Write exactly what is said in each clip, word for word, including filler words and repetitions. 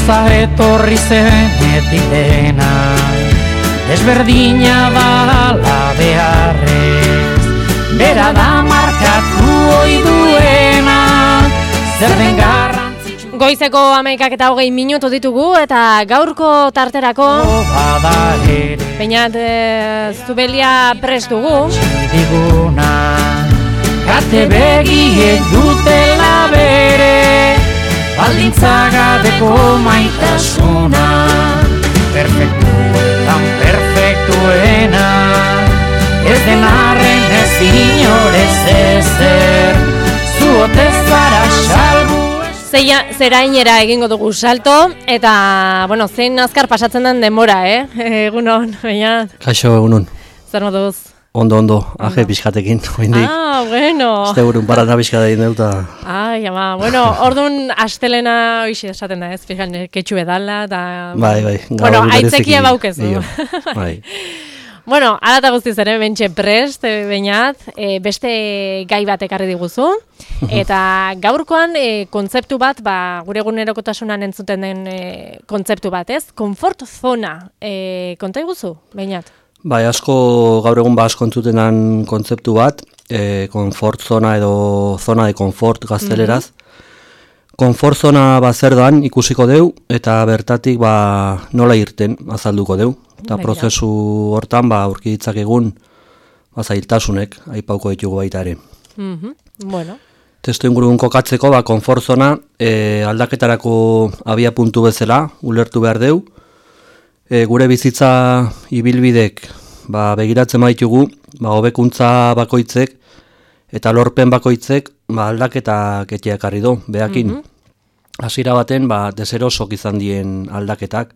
gauza etorri zenetik dena, desberdina da ala beharrez, bera da markatu ohi duena, zer den garrantzitsu. Goizeko hamaikak eta hogei minutu ditugu eta gaurko tarterako Beñat e, Zubelia prest dugu. Diguna, kate begiek dutela bere, baldintzagabeko maitasuna, perfektuetan perfektuena, ez den arren ez inorez ezer, zuotez zara salbu. Zeia, zerainera egingo dugu salto, eta, bueno, zein azkar pasatzen den denbora, eh? Egunon, baina... Kaixo, egunon. Zer moduz? Ondo, ondo, aje pixkatekin, oindik. Ah, bueno. Este burun barana pixkate egin deuta. Ai, ama, bueno, orduan astelena hoxe esaten da, ez, fijan, ketxu edala, eta... Bai, bai. Bueno, aitzekia baukezu. Bai. Bueno, alata guztiz ere, bentxe prest, Beñat, e, beste gai bat ekarri diguzu, eta gaurkoan e, kontzeptu bat, ba, gure egunerokotasunan entzuten den e, kontzeptu bat, ez? Komfort zona, e, konta iguzu, Beñat? Bai, asko gaur egun ba asko entzutenan kontzeptu bat, e, konfort zona edo zona de konfort gazteleraz. Mm-hmm. Konfort zona ba zer doan ikusiko deu, eta bertatik ba nola irten azalduko deu. Eta prozesu hortan ba aurki ditzakegun ba zailtasunek aipauko ditugu baita ere. Mhm. Bueno. Testu ingurun kokatzeko ba konfort zona e, aldaketarako abia puntu bezala ulertu behar deu. E, gure bizitza ibilbidek ba begiratzen baitugu, ba hobekuntza bakoitzek eta lorpen bakoitzek ba aldaketa ekarri du beakin. Hasiera mm-hmm. baten ba deserosok izan dien aldaketak.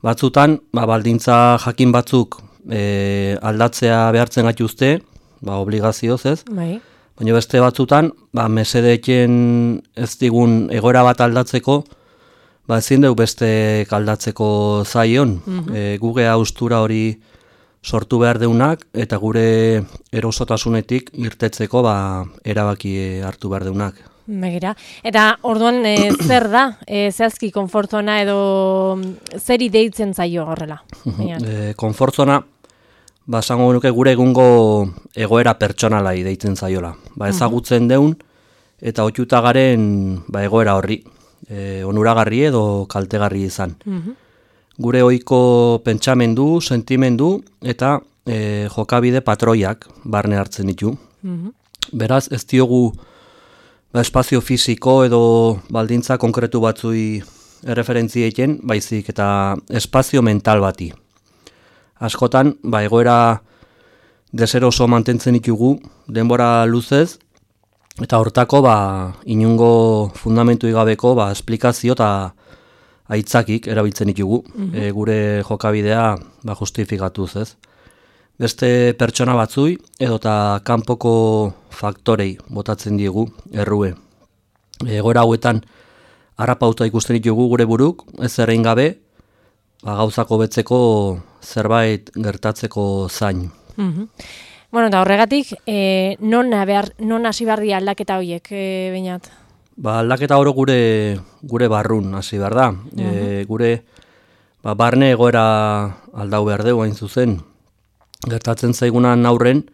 Batzutan, ba, baldintza jakin batzuk e, aldatzea behartzen gaituzte, ba, obligazioz ez. Bai. Baina beste batzutan, ba, mesedeken ez digun egoera bat aldatzeko, ba, ezin dugu beste aldatzeko zaion. Mm-hmm. E, guge haustura hori sortu behar deunak, eta gure erosotasunetik irtetzeko ba, erabaki hartu behar deunak. Begira. Eta orduan e, zer da? E, zehazki konfortzona edo zeri deitzen zaio horrela? e, konfortzona, ba, esango nuke gure egungo egoera pertsonalai deitzen zaiola. Ba, ezagutzen deun eta otuta garen ba, egoera horri. E, onuragarri edo kaltegarri izan. Uh-huh. Gure ohiko pentsamendu, sentimendu eta e, jokabide patroiak barne hartzen ditu. Uh-huh. Beraz, ez diogu ba, espazio fisiko edo baldintza konkretu batzui erreferentziekin, baizik eta espazio mental bati. Askotan, ba, egoera deseroso mantentzen ditugu, denbora luzez, eta hortako ba, inungo fundamentu igabeko ba, esplikazio eta aitzakik erabiltzen ditugu, mm-hmm. e, gure jokabidea ba, justifikatuz ez. Beste pertsona batzui edota kanpoko faktorei botatzen diegu errue. Egoera hauetan harrapauta ikusten ditugu gure buruk, ez errein gabe, ba, gauzako betzeko zerbait gertatzeko zain. Mm-hmm. Bueno, eta horregatik, e, non, behar, non hasi behar di aldaketa horiek, e, Beñat? Ba, aldaketa oro gure, gure barrun hasi behar da. Mm-hmm. E, gure ba, barne egoera aldau behar dugu hain zuzen. Gertatzen zaigunan aurren,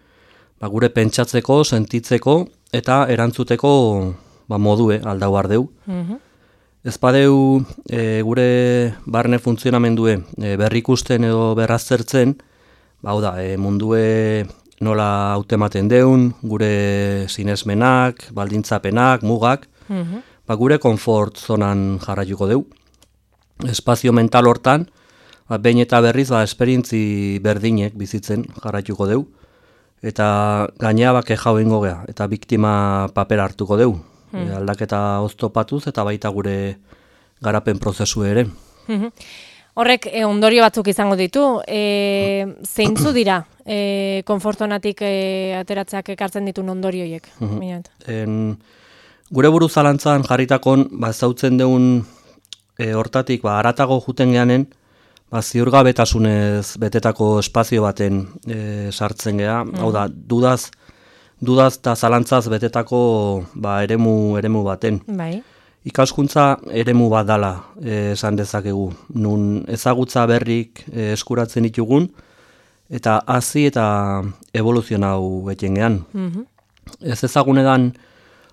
ba, gure pentsatzeko, sentitzeko eta erantzuteko ba, modue aldau ardeu. Mm-hmm. Ez badeu e, gure barne funtzionamendue e, berrikusten edo berraztertzen, ba, da, e, mundue nola hautematen deun, gure sinesmenak, baldintzapenak, mugak, mm-hmm. ba, gure konfort zonan jarraituko deu. Espazio mental hortan, ba, behin eta berriz ba, esperientzi berdinek bizitzen jarraituko deu, eta gainea bake jau ingo gea, eta biktima paper hartuko deu. Hmm. E, aldaketa oztopatuz eta baita gure garapen prozesu ere. Hmm. Horrek e, ondorio batzuk izango ditu, e, zeintzu dira e, konfortonatik e, ateratzeak ekartzen ditun ondorioiek? Hmm. En, gure buru zalantzan jarritakon, ba, zautzen deun e, hortatik, ba, aratago juten geanen, ba, ziurgabetasunez betetako espazio baten e, sartzen gea, mm. hau da, dudaz, dudaz eta zalantzaz betetako ba, eremu, eremu baten. Bai. ikaskuntza eremu bat dala eh, esan dezakegu. Nun ezagutza berrik eh, eskuratzen ditugun, eta hazi eta evoluzionau etxengean. Mhm. Ez ezagunedan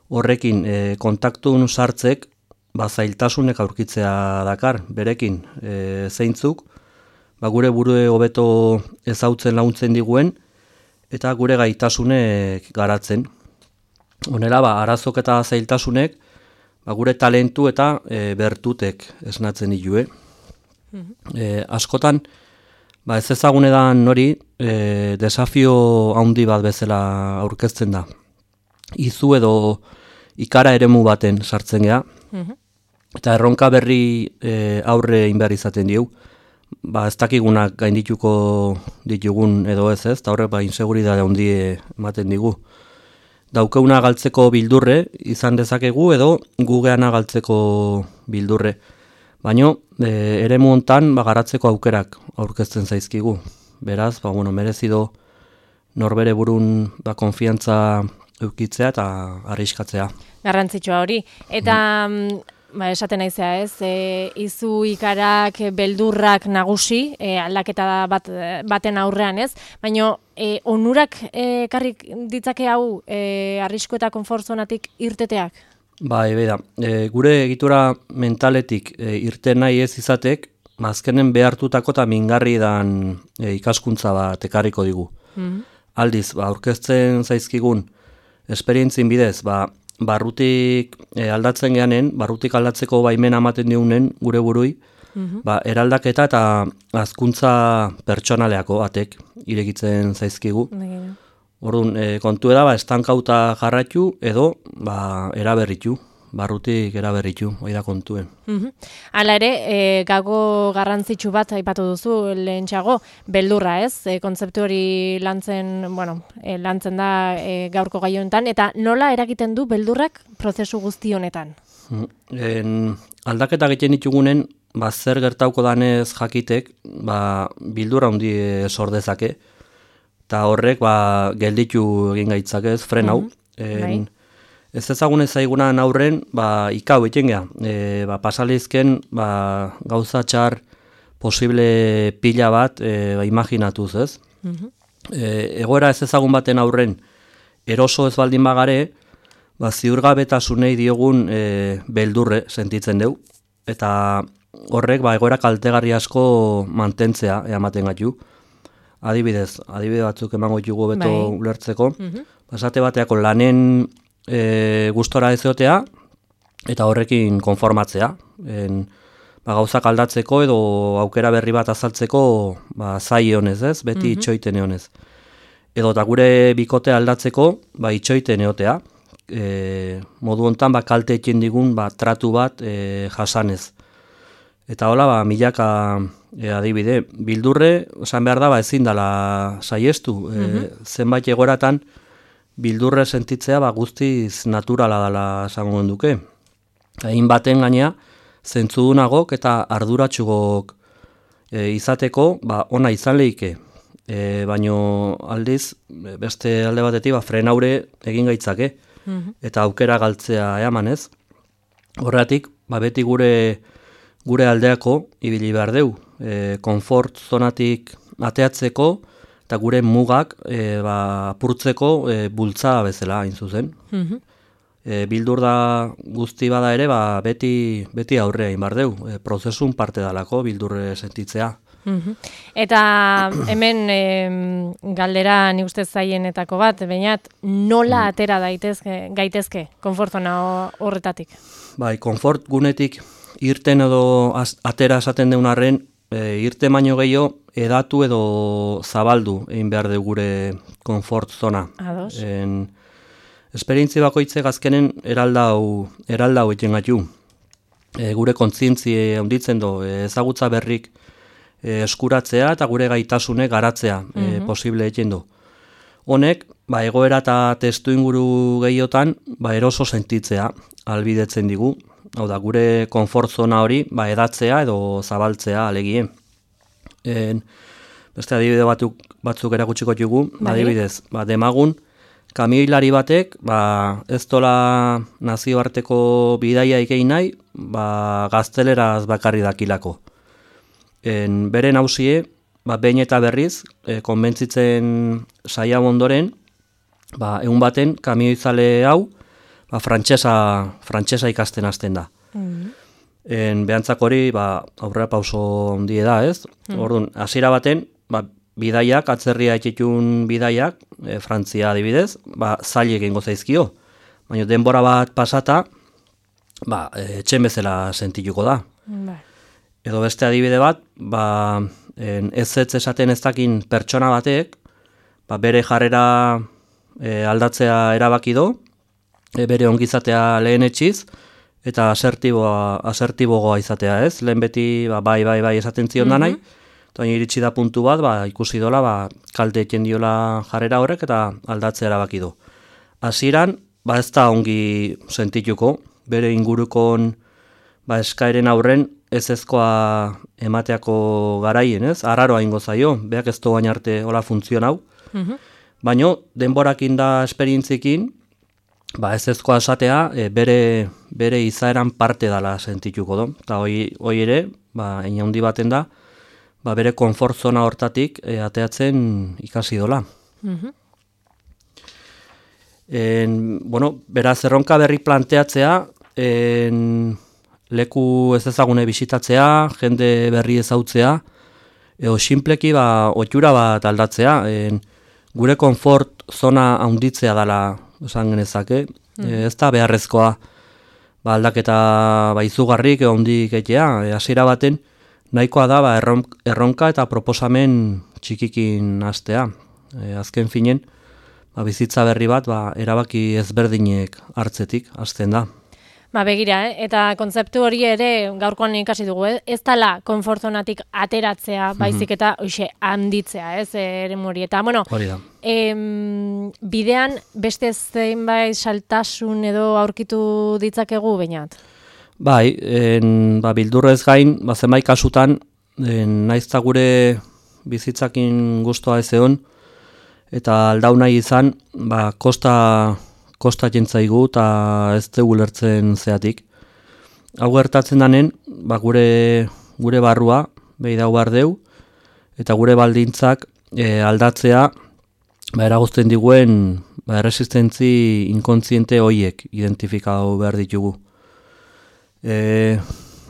horrekin e, kontaktun sartzek ba, zailtasunek aurkitzea dakar, berekin e, zeintzuk, ba, gure burue hobeto ezautzen laguntzen diguen, eta gure gaitasunek garatzen. Honela, ba, arazok eta zailtasunek ba, gure talentu eta e, bertutek esnatzen ditue. Mhm. E, askotan, ba, ez ezagunedan hori e, desafio handi bat bezala aurkezten da. Izu edo ikara eremu baten sartzen gea, Mhm. eta erronka berri e, aurre inbehar izaten diu. Ba, ez dakigunak gaindituko ditugun edo ez ez, eta horrek ba, inseguridade handie ematen digu. Daukeuna galtzeko bildurre izan dezakegu edo gugeana galtzeko bildurre. Baina e, eremu hontan ba, garatzeko aukerak aurkezten zaizkigu. Beraz, ba, bueno, merezido norbere burun ba, konfiantza eukitzea eta arriskatzea. Garrantzitsua hori. Eta mm. ba, esaten naizea ez, e, izu ikarak, beldurrak nagusi, e, aldaketa bat, baten aurrean ez, baina e, onurak e, karrik ditzake hau e, arrisko eta konfortzonatik irteteak? Bai, beda, e, gure egitura mentaletik e, irten nahi ez izatek, azkenen behartutako eta mingarri dan e, ikaskuntza bat ekarriko digu. Mhm. Aldiz, ba, aurkezten zaizkigun esperientzin bidez, ba, barrutik e, aldatzen geanen, barrutik aldatzeko baimena ematen diunen gure burui, Mhm. ba, eraldaketa eta hazkuntza pertsonaleako batek irekitzen zaizkigu. Bai. Orduan, e, kontu da, ba, estankauta jarraitu edo ba, eraberritu, barrutik eraberritu, hori da kontuen. Mhm. Hala ere, e, gago garrantzitsu bat aipatu duzu lehentxago, beldurra ez, e, kontzeptu hori lantzen, bueno, e, lantzen da e, gaurko gai honetan, eta nola eragiten du beldurrak prozesu guzti honetan? En, aldaketa egiten ditugunen, ba, zer gertauko danez jakitek, ba, bildurra handi sor dezake, eta horrek ba, gelditu egin gaitzakez, fren hau. Mhm. En, ez ezagunez zaigunan aurren, ba, ikau egiten geha. E, ba, pasalizken ba, gauza txar posible pila bat e, ba, imaginatuz, ez? Mhm. E, egoera ez ezagun baten aurren eroso ez baldin bagare, ba, ziurgabetasunei diogun e, beldurre sentitzen deu, eta horrek ba, egoera kaltegarri asko mantentzea ematen gaitu. Adibidez, adibide batzuk emango ditugu beto Bai. ulertzeko, Mhm. basate bateako lanen e, gustora ezotea eta horrekin konformatzea. En, ba, gauzak aldatzeko edo aukera berri bat azaltzeko ba, zai honez, ez? Beti Mhm. itxoiten egonez. Edo eta gure bikote aldatzeko ba, itxoiten egotea. E, modu hontan ba, kalte egin digun ba, tratu bat e, jasanez. Eta hola, ba, milaka e, adibide, bildurre, esan behar da, ba, ezin dela saiestu. E, Mhm. zenbait egoratan, bildurre sentitzea ba, guztiz naturala dela esango duke. Egin baten gainea, zentzudunagok eta arduratxugok e, izateko, ba, ona izan lehike. E, baino aldiz, beste alde batetik, ba, frenaure egin gaitzake, Mhm. eta aukera galtzea eamanez. Horregatik, ba, beti gure gure aldeako ibili behar deu. E, konfort zonatik ateatzeko, eta gure mugak e, ba, apurtzeko e, bultza bezala hain zuzen. Mhm. E, bildur da guzti bada ere, ba, beti, beti aurrea egin behar deu. E, prozesun parte dalako bildurre sentitzea. Mhm. Eta hemen em, galdera ni ustez zaienetako bat, bainat nola atera daitezke, gaitezke konfortzona horretatik? Bai, konfort gunetik irten edo az, atera esaten deun arren, e, irte baino gehiago edatu edo zabaldu egin behar de gure konfort zona. Ados. En, esperientzi bakoitzek azkenen eraldau, eraldau egiten gaitu. E, gure kontzientzie handitzen do, e, ezagutza berrik e, eskuratzea eta gure gaitasune garatzea e, Mhm. posible egiten du. Honek, ba, egoera eta testu inguru gehiotan, ba, eroso sentitzea albidetzen digu. Hau da, gure konfort zona hori, ba, edatzea edo zabaltzea alegie. En, beste adibide batzuk, batzuk erakutsiko dugu, Bai. adibidez, ba, demagun, kamioilari batek, ba, ez dola nazioarteko bidaia egin nahi, ba, gazteleraz bakarri dakilako. En, bere nausie, ba, behin eta berriz, e, konbentzitzen saia ondoren, ba, egun baten kamioizale hau, ba, frantsesa, frantsesa ikasten hasten da. Mm. En, behantzak hori, ba, aurrera pauso handie da, ez? Mm. Orduan, hasiera baten, ba, bidaiak, atzerria etxetun bidaiak, e, Frantzia adibidez, ba, zaile egingo zaizkio. Baina denbora bat pasata, ba, e, etxen bezala sentituko da. Mm. Edo beste adibide bat, ba, en, ez ez esaten ez dakin pertsona batek, ba, bere jarrera e, aldatzea erabaki do, e, bere ongizatea lehen etxiz, eta asertiboa, asertibogoa izatea, ez? Lehen beti, ba, bai, bai, bai esaten zion da nahi, eta iritsi da puntu bat, ba, ikusi dola, ba, kalte eten diola jarrera horrek, eta aldatzea erabaki do. Hasieran, ba, ez da ongi sentituko, bere ingurukon, ba, eskaeren aurren, ez ezkoa emateako garaien, ez? Arraroa ingo zaio, beak ez doain arte hola funtzionau. Mm-hmm. Baina, denborakin da esperientzikin, ba, ez ezkoa esatea, e, bere, bere izaeran parte dala sentituko do. Eta hoi, hoi ere, ba, ina handi baten da, ba, bere konfort zona hortatik e, ateatzen ikasi dola. Mm-hmm. En, bueno, beraz, erronka berri planteatzea, en, leku ez ezagune bisitatzea, jende berri ezautzea, edo sinpleki ba, ohitura bat aldatzea, en, gure konfort zona handitzea dela esan genezake, mm. e, ez da beharrezkoa ba, aldaketa ba, izugarrik edo handik egitea, e, hasiera baten nahikoa da ba, erronka eta proposamen txikikin hastea. E, azken finen, ba, bizitza berri bat ba, erabaki ezberdinek hartzetik hasten da. Ba, begira, eh? Eta kontzeptu hori ere gaurkoan ikasi dugu, eh? Ez dela konfortzonatik ateratzea, baizik eta hoxe handitzea, ez, ere hori. Eta, bueno, em, bidean beste zeinbait saltasun edo aurkitu ditzakegu bainat? Bai, en, ba, bildurrez gain, ba, zenbait kasutan, en, naizta gure bizitzakin gustoa ez egon, eta aldau nahi izan, ba, kosta... kosta jentzaigu eta ez dugu lertzen zeatik. Hau gertatzen danen, ba, gure, gure barrua, behi dau behar deu, eta gure baldintzak e, aldatzea ba, eragozten diguen ba, erresistentzi inkontziente hoiek identifikau behar ditugu. E,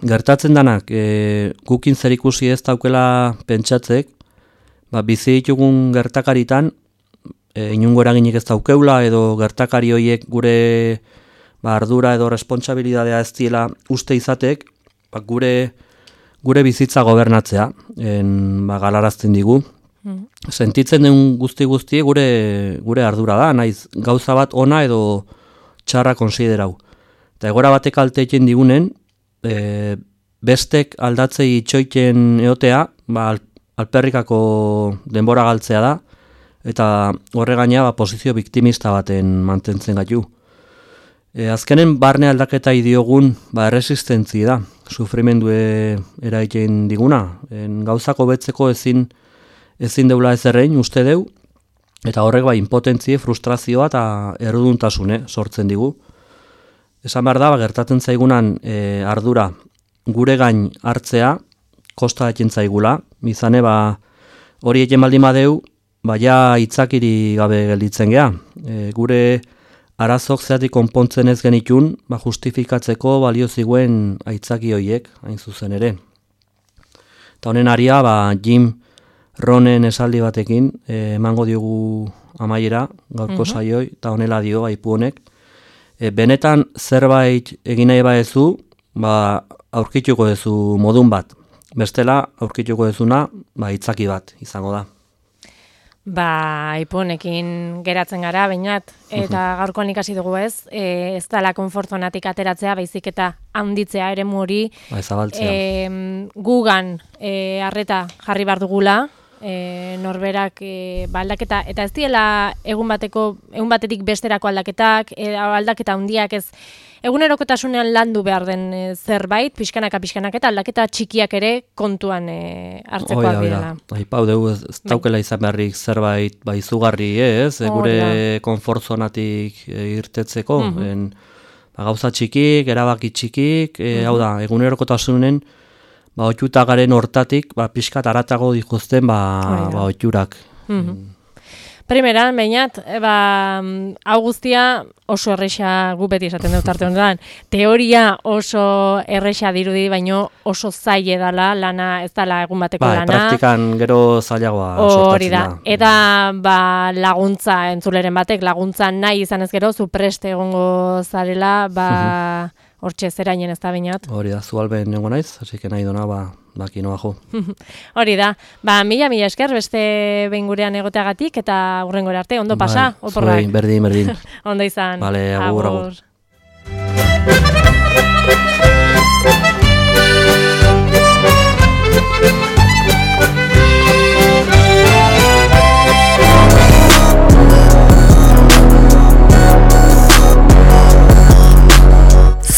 gertatzen danak, e, gukin zer ikusi ez daukela pentsatzek, ba, bizi ditugun gertakaritan, E, inungo eraginik ez daukeula edo gertakari horiek gure ba, ardura edo responsabilidadea ez diela uste izatek ba, gure, gure bizitza gobernatzea en, ba, galarazten digu. Mm. Sentitzen den guzti guztie gure, gure ardura da, naiz gauza bat ona edo txarra konsiderau. Eta egora batek alteiten digunen, e, bestek aldatzei itxoiten eotea ba, alperrikako denbora galtzea da, eta horre gaina ba, posizio biktimista baten mantentzen gaitu. E, azkenen barne aldaketa idiogun ba, erresistentzi da, sufrimendue eraiten diguna. En, gauzako betzeko ezin, ezin deula ez errein uste deu, eta horrek ba, impotentzie, frustrazioa eta erruduntasune sortzen digu. Esan behar da, ba, gertatzen zaigunan e, ardura gure gain hartzea, kosta eten zaigula, izane ba, hori eten baldin badeu, baina itzakiri gabe gelditzen gea. E, gure arazok zeatik konpontzen ez genitun, ba, justifikatzeko balio ziguen aitzaki hoiek, hain zuzen ere. Eta honen aria, ba, Jim Rohnen esaldi batekin, e, emango diogu amaiera, gaurko uh-huh. saioi, eta honela dio, aipu honek. E, benetan zerbait egin nahi baezu, ba, aurkituko duzu modun bat. Bestela, aurkituko duzuna, ba, itzaki bat izango da. Ba, ipunekin geratzen gara, bainat, eta gaurkoan ikasi dugu ez, e, ez dala konfortzonatik ateratzea, baizik eta handitzea eremu hori, ba, e, gugan e, arreta jarri behar dugula, e, norberak e, ba, aldaketa, eta ez diela egun bateko, egun batetik besterako aldaketak, e, aldaketa handiak ez, egunerokotasunean landu behar den e, zerbait, pixkanaka pixkanak eta aldaketa txikiak ere kontuan e, hartzekoak direla. Aipau dugu ez, ez daukela izan beharrik zerbait bai izugarri ez, e, gure konfortzonatik e, irtetzeko, mm-hmm. en, ba, gauza txikik, erabaki txikik, e, mm-hmm. hau da, egunerokotasunen ba, oiuta garen hortatik, ba, pixkat aratago dituzten ba, ba, oiurak. Mm-hmm. Primeran, bainat, ba, hau guztia oso erresa gu beti esaten dut arte honetan. Teoria oso erresa dirudi, baino oso zaile dala, lana ez dala egun bateko ba, lana. Praktikan gero zailagoa sortatzen da. Eta ba, laguntza entzuleren batek, laguntza nahi izan ez gero, zu preste egongo zarela, ba, hortxe zerainen ez da bainat. Hori da, zualben nengo naiz, hasi que nahi dona, ba, baki noa jo. Hori da, ba, mila, mila esker, beste behin gurean egoteagatik, eta hurrengora arte, ondo pasa, bai, oporrak. Zuei, berdin, berdin. Ondo izan. Vale, agur, agur.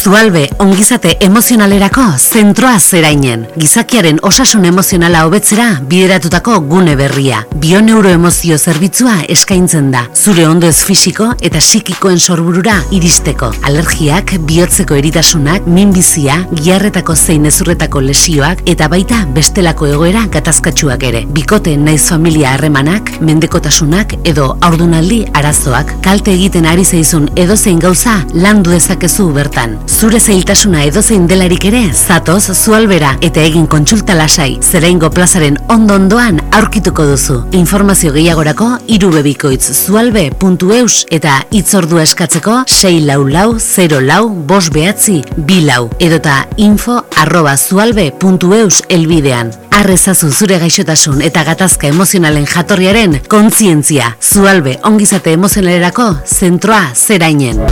Zualbe ongizate emozionalerako zentroa zerainen. Gizakiaren osasun emozionala hobetzera bideratutako gune berria. Bioneuroemozio zerbitzua eskaintzen da. Zure ondo ez fisiko eta psikikoen sorburura iristeko. Alergiak, bihotzeko eritasunak, minbizia, giharretako zein ezurretako lesioak eta baita bestelako egoera gatazkatsuak ere. Bikote naiz familia harremanak, mendekotasunak edo haurdunaldi arazoak. Kalte egiten ari zaizun edozein gauza landu dezakezu bertan. Zure zailtasuna edozein delarik ere, zatoz Zualbera eta egin kontsulta lasai, Zeraingo plazaren ondo-ondoan aurkituko duzu. Informazio gehiagorako irubebikoitz zualbe puntu eus eta hitzordua eskatzeko sei lau lau zero lau bost behatzi bi lau edota info arroba zualbe puntu eus elbidean. Arrezazu zure gaixotasun eta gatazka emozionalen jatorriaren kontzientzia. Zualbe ongizate emozionalerako zentroa Zerainen.